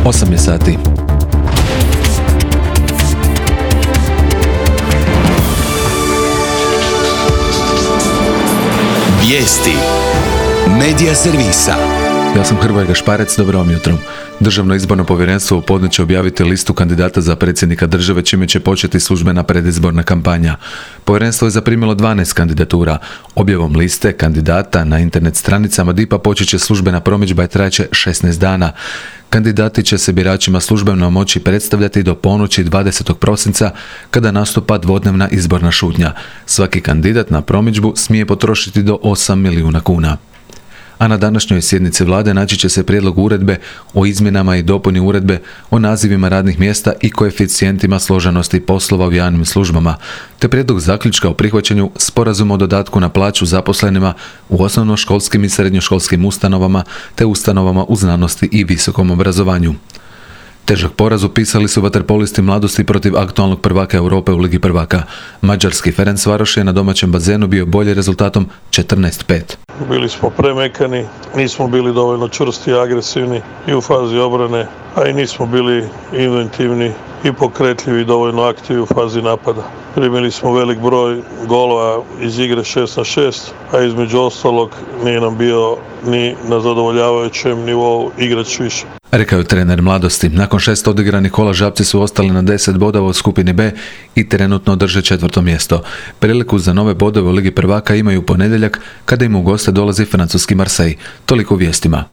8 je sati. Vijesti Medija servisa. Ja sam Hrvoje Gašparec, dobro vam jutro. Državno izborno povjerenstvo u podne će objaviti listu kandidata za predsjednika države, čime će početi službena predizborna kampanja. Povjerenstvo je zaprimilo 12 kandidatura. Objavom liste kandidata na internet stranicama DIP-a počet će službena promidžba i trajaće 16 dana. Kandidati će se biračima službeno moći predstavljati do ponoći 20. prosinca, kada nastupa dvodnevna izborna šutnja. Svaki kandidat na promidžbu smije potrošiti do 8 milijuna kuna. A na današnjoj sjednici vlade naći će se prijedlog uredbe o izmjenama i dopuni uredbe o nazivima radnih mjesta i koeficijentima složenosti poslova u javnim službama, te prijedlog zaključka o prihvaćanju sporazuma o dodatku na plaću zaposlenima u osnovnoškolskim i srednjoškolskim ustanovama te ustanovama u znanosti i visokom obrazovanju. Težak poraz upisali su vaterpolisti Mladosti protiv aktualnog prvaka Europe u Ligi prvaka. Mađarski Ferencvaroš je na domaćem bazenu bio bolji rezultatom 14:5. Bili smo premekani, nismo bili dovoljno čvrsti i agresivni i u fazi obrane, a i nismo bili inventivni i pokretljivi i dovoljno aktivni u fazi napada. Primili smo velik broj golova iz igre 6-6, a između ostalog nije nam bio ni na zadovoljavajućem nivou igrać više. Rekao je trener Mladosti. Nakon 6 odigranih kola Žabci su ostali na 10 bodova u skupini B i trenutno drže 4. mjesto. Priliku za nove bodove u Ligi prvaka imaju u ponedjeljak, kada im u goste dolazi francuski Marseille. Toliko u vijestima.